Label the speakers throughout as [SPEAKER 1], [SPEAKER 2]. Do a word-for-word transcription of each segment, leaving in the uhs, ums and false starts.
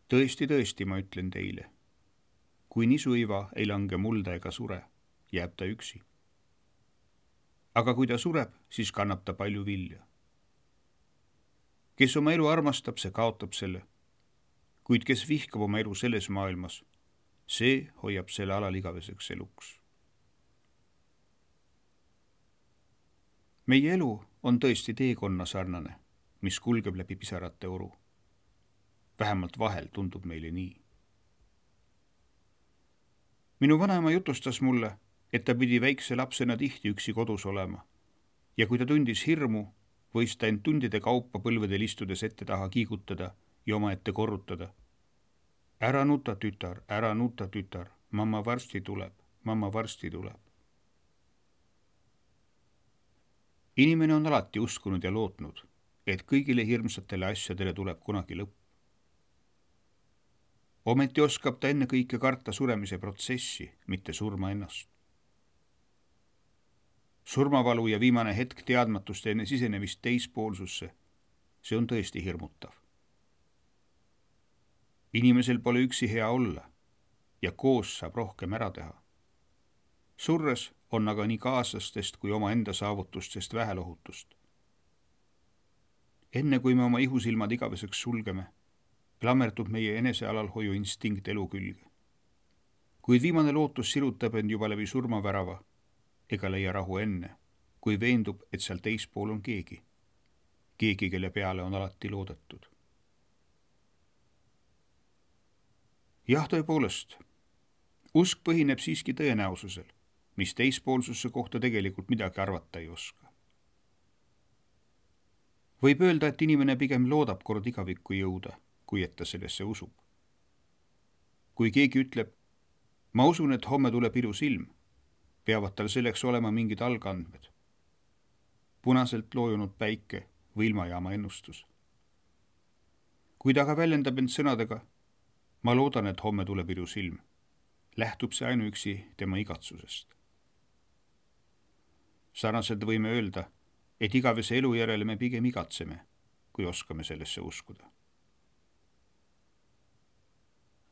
[SPEAKER 1] Tõesti, tõesti, ma ütlen teile. Kui nisuiva ei lange mulda ega sure, jääb ta üksi. Aga kui ta sureb, siis kannab ta palju vilja. Kes oma elu armastab, see kaotab selle. Kuid kes vihkab oma elu selles maailmas, see hoiab selle alal igaveseks eluks. Meie elu on tõesti teekonna sarnane, mis kulgeb läbi pisarate oru. Vähemalt vahel tundub meile nii. Minu vanaema jutustas mulle, et ta pidi väikse lapsena tihti üksi kodus olema ja kui ta tundis hirmu, võis ta end tundide kaupa põlvedel istudes ette taha kiigutada ja oma ette korrutada. Ära nuta, tütar, ära nuta, tütar, mamma varsti tuleb, mamma varsti tuleb. Inimene on alati uskunud ja lootnud, et kõigile hirmsatele asjadele tuleb kunagi lõpp. Ometi oskab ta enne kõike karta suremise protsessi, mitte surma ennast. Surmavalu ja viimane hetk teadmatust enne sisenemist teispoolsusse, see on tõesti hirmutav. Inimesel pole üksi hea olla ja koos saab rohkem ära teha. Surres on aga nii kaaslastest kui oma enda saavutustest vähelohutust. Enne kui me oma ihusilmad igaveseks sulgeme, klammerdub meie enesealalhoiu instinkt elu külge. Kuid viimane lootus sirutab end juba läbi surmavärava, ega leia rahu enne, kui veendub, et seal teispool on keegi. Keegi, kelle peale on alati loodetud. Jah, tõepoolest, usk põhineb siiski tõenäosusel, mis teispoolsusse kohta tegelikult midagi arvata ei oska. Võib öelda, et inimene pigem loodab kord igavikku jõuda, kui et ta sellesse usub. Kui keegi ütleb, ma usun, et homme tuleb ilus ilm, peavad tal selleks olema mingid algandmed. Punaselt loojunud päike või ilmajaama ennustus. Kui ta aga väljendab end sõnadega, ma loodan, et homme tuleb ilus ilm, lähtub see ainuüksi tema igatsusest. Sarnaselt võime öelda, et igavese elu järele me pigem igatseme, kui oskame sellesse uskuda.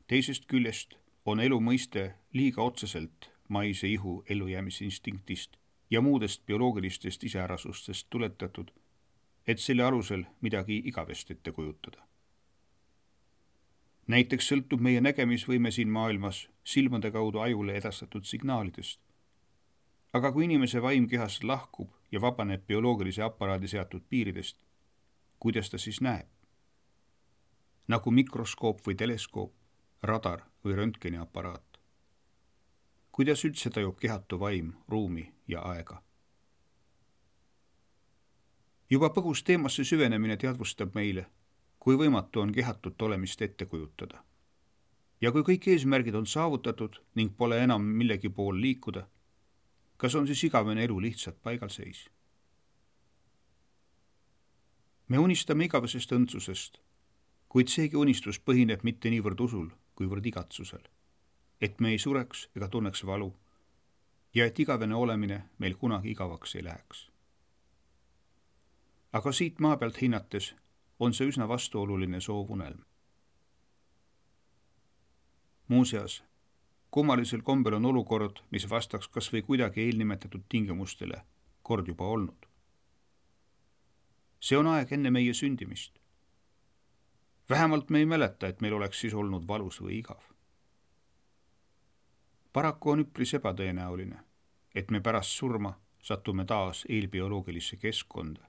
[SPEAKER 1] Teisest küljest on elu mõiste liiga otseselt maise ihu ellujäämisinstinktis ja muudest bioloogilistest iseärasustest tuletatud, et selle alusel midagi igavest ette kujutada. Näiteks sõltub meie nägemisvõime siin maailmas silmade kaudu ajule edastatud signaalidest. Aga kui inimese vaim kehast lahkub ja vabaneb bioloogilise aparaadi seatud piiridest, kuidas ta siis näeb? Nagu mikroskoop või teleskoop, radar või röntgeniaparaat. Kuidas üldse tajub kehatu vaim, ruumi ja aega? Juba põgus teemasse süvenemine teadvustab meile, kui võimatu on kehatut olemist ette kujutada. Ja kui kõik eesmärgid on saavutatud ning pole enam millegi pool liikuda, kas on siis igavene elu lihtsalt paigalseis? Me unistame igavesest õndsusest, kuid seegi unistus põhineb mitte niivõrd usul, kuivõrd igatsusel, et me ei sureks ega tunneks valu ja et igavene olemine meil kunagi igavaks ei läheks. Aga siit maa pealt hinnates on see üsna vastuoluline soovunelm. Muuseas, kummalisel kombel on olukord, mis vastaks kas või kuidagi eelnimetatud tingimustele, kord juba olnud. See on aeg enne meie sündimist. Vähemalt me ei mäleta, et meil oleks siis olnud valus või igav. Paraku on üpris ebatõenäoline, et me pärast surma satume taas eelbioloogilisse keskkonda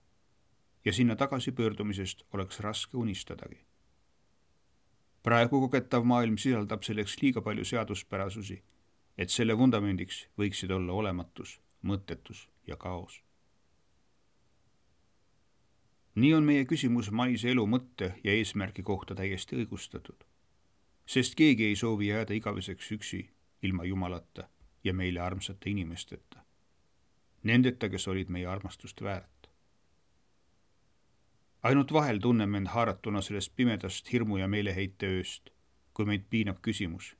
[SPEAKER 1] ja sinna tagasipöördumisest oleks raske unistadagi. Praegu kogetav maailm sisaldab selleks liiga palju seaduspärasusi, et selle vundamendiks võiksid olla olematus, mõttetus ja kaos. Nii on meie küsimus maise elu mõtte ja eesmärgi kohta täiesti õigustatud, sest keegi ei soovi jääda igaveseks üksi ilma Jumalata ja meile armsate inimesteta. Nendeta, kes olid meie armastust väärt. Ainult vahel tunneme end haaratuna sellest pimedast hirmu ja meeleheite ööst, kui meid piinab küsimus,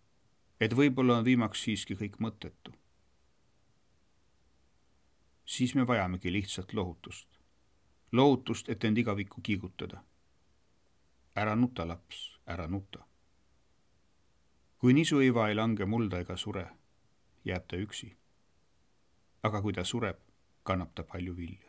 [SPEAKER 1] et võib-olla on viimaks siiski kõik mõttetu. Siis me vajamegi lihtsalt lohutust. Lohutust, et end igavikku kiigutada. Ära nuta, laps, ära nuta. kui nisuiva ei lange mulda ega sure, jääb ta üksi. aga kui ta sureb, kannab ta palju vilja.